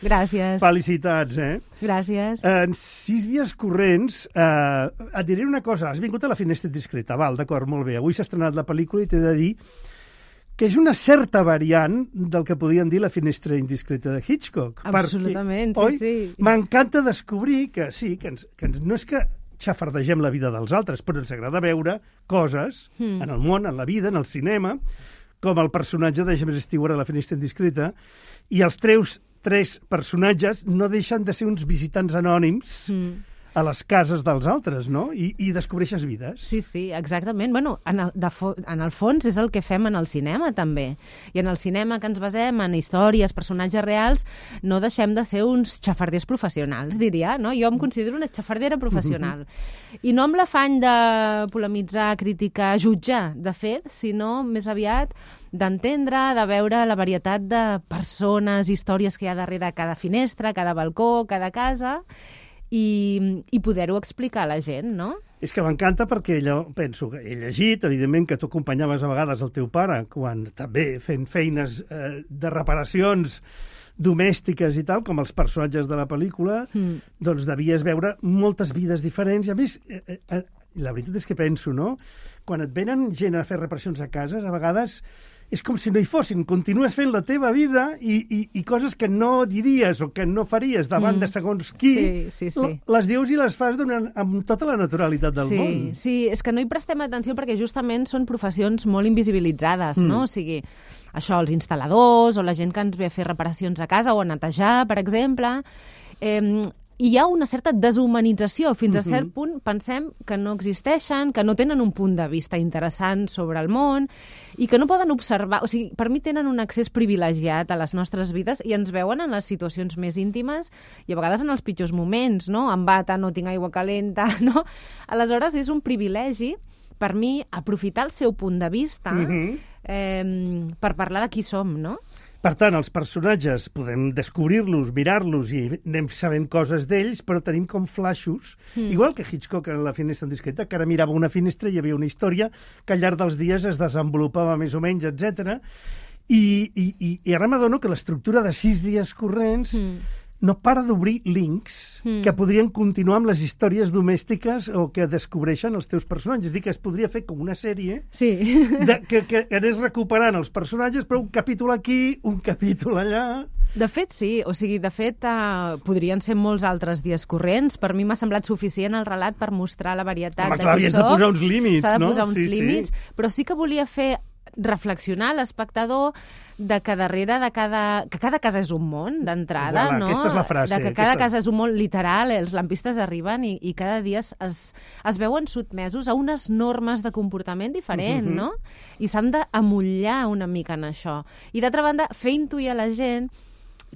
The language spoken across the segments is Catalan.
Gràcies. Felicitats, Gràcies. En 6 dies corrents, et diré una cosa. Has vingut a La finestra indiscreta, val, d'acord, molt bé. Avui s'ha estrenat la pel·lícula i t'he de dir que és una certa variant del que podíem dir La finestra indiscreta de Hitchcock. Absolutament, perquè, sí. M'encanta descobrir que sí, no és que xafardegem la vida dels altres, però ens agrada veure coses en el món, en la vida, en el cinema, com el personatge de James Stewart a La finestra indiscreta, i els tres personatges no deixen de ser uns visitants anònims a les cases dels altres, no? I descobreixes vides. Sí, exactament. Bueno, en el fons és el que fem en el cinema, també. I en el cinema que ens basem en històries, personatges reals, no deixem de ser uns xafarders professionals, diria, no? Jo em considero una xafardera professional. I no amb l'afany de polemitzar, criticar, jutjar, de fet, sinó més aviat d'entendre, de veure la varietat de persones, històries que hi ha darrere cada finestra, cada balcó, cada casa, i poder-ho explicar a la gent, no? És que m'encanta perquè penso que he llegit, evidentment, que tu acompanyaves a vegades el teu pare quan també fent feines de reparacions domèstiques i tal, com els personatges de la pel·lícula, doncs devies veure moltes vides diferents. I a més, la veritat és que penso, no? Quan et venen gent a fer reparacions a cases, a vegades és com si no hi fossin. Continues fent la teva vida i coses que no diries o que no faries davant de segons qui, sí. Les dius i les fas amb tota la naturalitat del món. Sí, és que no hi prestem atenció perquè justament són professions molt invisibilitzades, no? O sigui, això, els instal·ladors o la gent que ens ve a fer reparacions a casa o a netejar, per exemple. I hi ha una certa deshumanització. Fins a cert punt pensem que no existeixen, que no tenen un punt de vista interessant sobre el món i que no poden observar. O sigui, per mi tenen un accés privilegiat a les nostres vides i ens veuen en les situacions més íntimes i a vegades en els pitjors moments, no? Em bata, no tinc aigua calenta, no? Aleshores, és un privilegi per mi aprofitar el seu punt de vista per parlar de qui som, no? Per tant, els personatges podem descobrir-los, mirar-los i anem sabent coses d'ells, però tenim com flaixos, igual que Hitchcock en La finestra indiscreta, que ara mirava una finestra i hi havia una història que al llarg dels dies es desenvolupava més o menys, etc. I ara m'adono que l'estructura de 6 dies corrents no para d'obrir links que podrien continuar amb les històries domèstiques o que descobreixen els teus personatges. És a dir, que es podria fer com una sèrie que anés recuperant els personatges, però un capítol aquí, un capítol allà. De fet, sí. O sigui, de fet, podrien ser molts altres dies corrents. Per mi m'ha semblat suficient el relat per mostrar la varietat de qui soc. Havies de posar uns límits, no? S'ha de posar uns límits, però sí que volia fer reflexionar l'espectador de que darrere de que cada casa és un món, d'entrada, no? Aquesta és la frase. De que cada casa és un món literal, els lampistes arriben i cada dia es veuen sotmesos a unes normes de comportament diferent, no? I s'han d'amollar una mica en això. I d'altra banda, fer intuir a la gent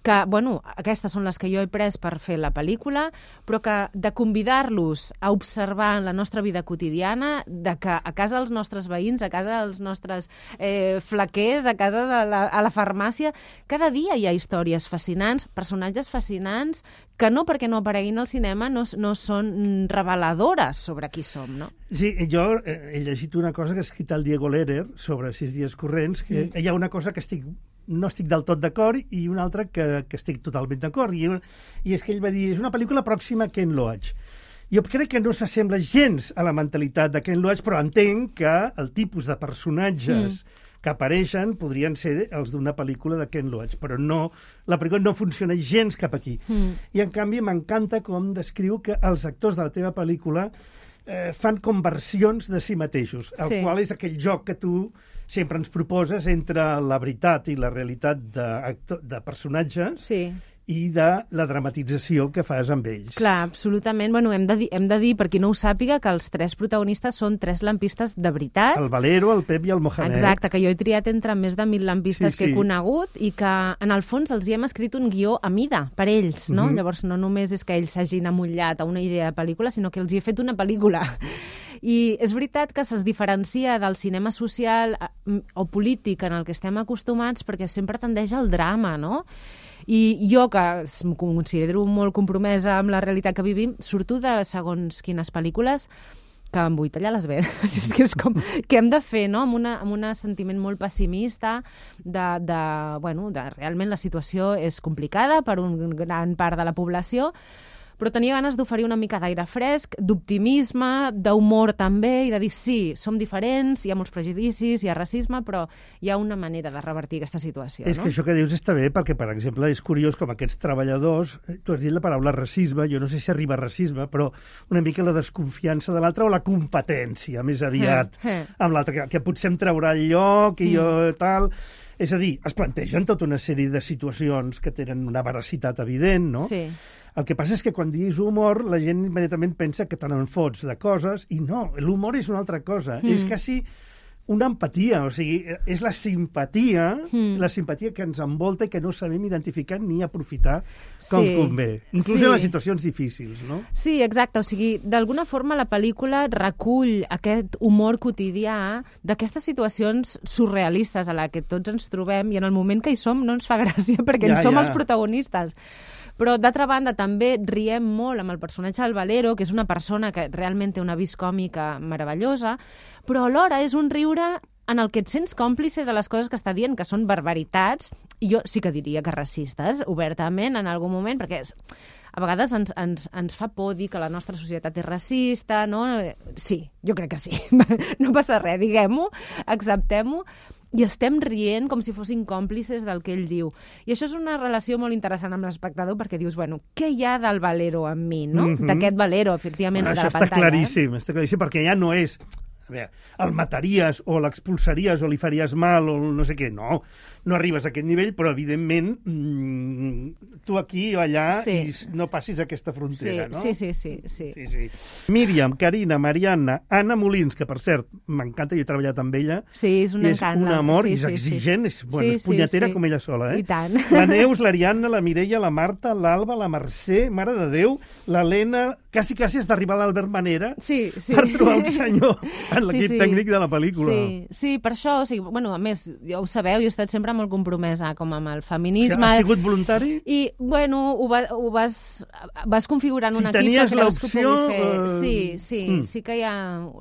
que, bueno, aquestes són les que jo he pres per fer la pel·lícula, però que de convidar-los a observar la nostra vida quotidiana, de que a casa dels nostres veïns, a casa dels nostres flaquers, a casa a la farmàcia, cada dia hi ha històries fascinants, personatges fascinants, que no perquè no apareguin al cinema no són reveladores sobre qui som, no? Sí, jo he llegit una cosa que ha escrit el Diego Lehrer sobre 6 dies corrents, que hi ha una cosa que no estic del tot d'acord i una altra que estic totalment d'acord. I és que ell va dir, és una pel·lícula pròxima a Ken Loach. Jo crec que no s'assembla gens a la mentalitat de Ken Loach, però entenc que el tipus de personatges que apareixen podrien ser els d'una pel·lícula de Ken Loach, però no, la pel·lícula no funciona gens cap aquí. I en canvi m'encanta com descriu que els actors de la teva pel·lícula fan conversions de si mateixos, el qual és aquell joc que tu sempre ens proposes entre la veritat i la realitat de personatges i de la dramatització que fas amb ells. Clar, absolutament. Bueno, hem de dir, per qui no ho sàpiga, que els 3 protagonistes són 3 lampistes de veritat. El Valero, el Pep i el Mohamed. Exacte, que jo he triat entre més de 1.000 lampistes que he conegut i que, en el fons, els hi hem escrit un guió a mida, per ells, no? Llavors, no només és que ells s'hagin amollat a una idea de pel·lícula, sinó que els hi he fet una pel·lícula. I és veritat que es diferencia del cinema social o polític en el que estem acostumats perquè sempre tendeix al drama, no? I jo, que em considero molt compromesa amb la realitat que vivim, surto de segons quines pel·lícules que em vull tallar les venes. És que és com... Què hem de fer, no? Amb un sentiment molt pessimista bueno, realment la situació és complicada per una gran part de la població, però tenia ganes d'oferir una mica d'aire fresc, d'optimisme, d'humor també, i de dir, sí, som diferents, hi ha molts prejudicis, hi ha racisme, però hi ha una manera de revertir aquesta situació. És que això que dius està bé, perquè, per exemple, és curiós com aquests treballadors, tu has dit la paraula racisme, jo no sé si arriba a racisme, però una mica la desconfiança de l'altre o la competència, més aviat, amb l'altre, que potser em traurà el lloc i jo tal... És a dir, es plantegen tota una sèrie de situacions que tenen una veracitat evident, no? Sí. El que passa és que quan diguis humor, la gent immediatament pensa que te n'en fots de coses, i no, l'humor és una altra cosa. És quasi una empatia, o sigui, és la simpatia que ens envolta i que no sabem identificar ni aprofitar com convé. Inclús en les situacions difícils, no? Sí, exacte. O sigui, d'alguna forma la pel·lícula recull aquest humor quotidià d'aquestes situacions surrealistes a la que tots ens trobem, i en el moment que hi som no ens fa gràcia perquè en som els protagonistes. Però, d'altra banda, també riem molt amb el personatge del Valero, que és una persona que realment té una vis còmica meravellosa, però alhora és un riure en el que et sents còmplice de les coses que està dient, que són barbaritats, i jo sí que diria que racistes, obertament, en algun moment, perquè a vegades ens fa por dir que la nostra societat és racista, no? Sí, jo crec que sí. No passa res, diguem-ho, acceptem-ho, i estem rient com si fossin còmplices del que ell diu. I això és una relació molt interessant amb l'espectador, perquè dius, bueno, què hi ha del Valero en mi, no? D'aquest Valero, efectivament, de la pantalla. Això està claríssim, perquè ja no és... A veure, el mataries o l'expulsaries o li faries mal o no sé què. No arribes a aquest nivell, però evidentment tu aquí o allà i no passis aquesta frontera, no? Sí. Míriam, Carina, Marianna, Anna Molins, que per cert, m'encanta, jo he treballat amb ella. Sí, és un encant. És un amor, és exigent, és punyetera com ella sola, I tant. La Neus, l'Ariadna, la Mireia, la Marta, l'Alba, la Mercè, Mare de Déu, l'Helena, quasi has d'arribar a l'Albert Manera per trobar un senyor en l'equip tècnic de la pel·lícula. Sí, per això, o sigui, bueno, a més, ja ho sabeu, jo he estat sempre molt compromesa com amb el feminisme. Ha sigut voluntari? I, bueno, ho vas configurant un equip que creus que pugui fer. Sí que hi ha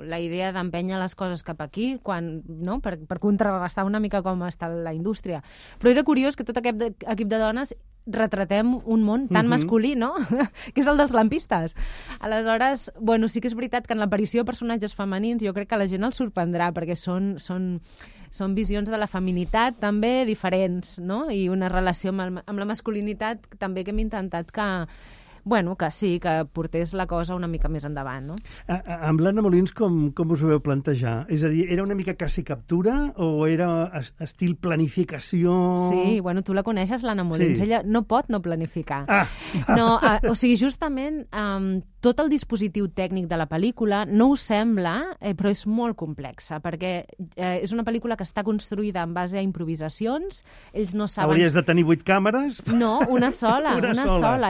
la idea d'empènyer les coses cap aquí, no? Per contrarrestar una mica com està la indústria. Però era curiós que tot aquest equip de dones retratem un món tan masculí, no? Que és el dels lampistes. Aleshores, bueno, sí que és veritat que en l'aparició de personatges femenins jo crec que la gent els sorprendrà, perquè són visions de la feminitat també diferents, no? I una relació amb la masculinitat també que hem intentat que sí, que portés la cosa una mica més endavant, no? Amb l'Anna Molins, com us ho veu plantejar? És a dir, era una mica quasi captura o era estil planificació? Sí, bueno, tu la coneixes, l'Anna Molins. Sí. Ella no pot no planificar. No, o sigui, justament tot el dispositiu tècnic de la pel·lícula no us sembla, però és molt complexa, perquè és una pel·lícula que està construïda en base a improvisacions. Ells no saben... Hauries de tenir 8 càmeres? No, una sola.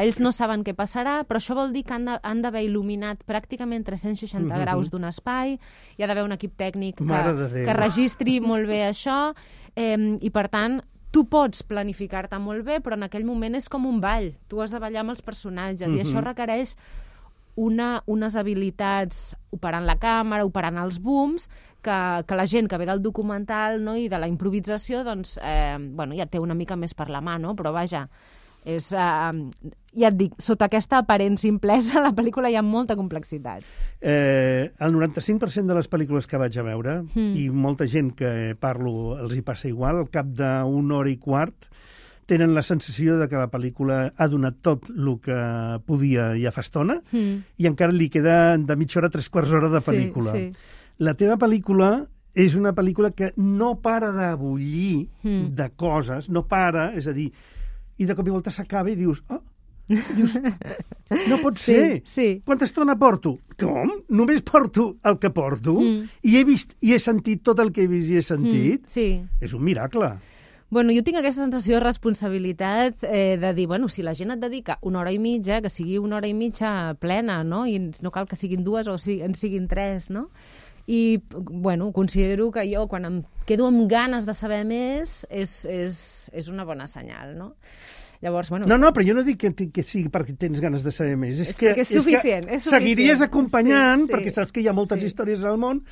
Ells no saben què passarà, però això vol dir que han d'haver il·luminat pràcticament 360 graus d'un espai, hi ha d'haver un equip tècnic que registri molt bé això, i per tant tu pots planificar-te molt bé, però en aquell moment és com un ball. Tu has de ballar amb els personatges, i això requereix unes habilitats operant la càmera, operant els booms, que la gent que ve del documental, no, i de la improvisació, doncs, ja té una mica més per la mà, no? Però vaja, ja et dic, sota aquesta aparent simplesa, la pel·lícula hi ha molta complexitat. El 95% de les pel·lícules que vaig a veure, i molta gent que parlo els hi passa igual, al cap d'una hora i quart, tenen la sensació de que la pel·lícula ha donat tot el que podia ja fa estona, i encara li queda de mitja hora a 3/4 hora de pel·lícula. Sí. La teva pel·lícula és una pel·lícula que no para de bullir de coses, no para, és a dir, i de cop i volta s'acaba i dius, no pot ser. Sí. Quanta estona porto? Com? Només porto el que porto? I he vist i he sentit tot el que he vist i he sentit? Sí. És un miracle. Bueno, jo tinc aquesta sensació de responsabilitat de dir, bueno, si la gent et dedica una hora i mitja, que sigui una hora i mitja plena, no? I no cal que siguin 2 o en siguin 3, no? I, bueno, considero que jo, quan em quedo amb ganes de saber més, és una bona senyal, no? Llavors, bueno... No, però jo no dic que sigui perquè tens ganes de saber més. És que és suficient, és suficient. Seguiries acompanyant, perquè saps que hi ha moltes històries al món,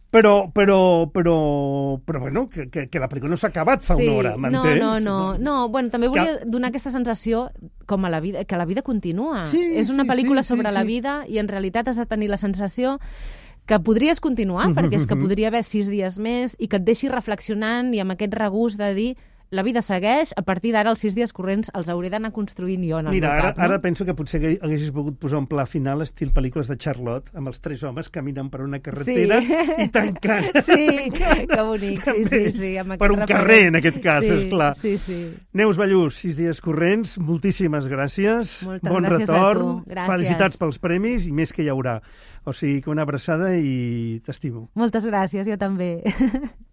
però bueno, que la pel·lícula no s'ha acabat fa una hora, m'entens? No, bueno, també volia donar aquesta sensació com a la vida, que la vida continua. És una pel·lícula sobre la vida i en realitat has de tenir la sensació que podries continuar, perquè és que podria haver 6 dies més i que et deixi reflexionant i amb aquest regust de dir la vida segueix, a partir d'ara els 6 dies corrents els hauré d'anar construint jo en el meu cap. Ara penso que potser haguessis pogut posar un pla final estil pel·lícules de Charlotte, amb els 3 homes caminant per una carretera i tancant. Sí, que bonic, sí. Per un carrer, en aquest cas, esclar. Sí. Neus Ballús, 6 dies corrents, moltíssimes gràcies. Moltes gràcies a tu. Gràcies. Felicitats pels premis i més que hi haurà. O sigui, que una abraçada i t'estimo. Moltes gràcies, jo també.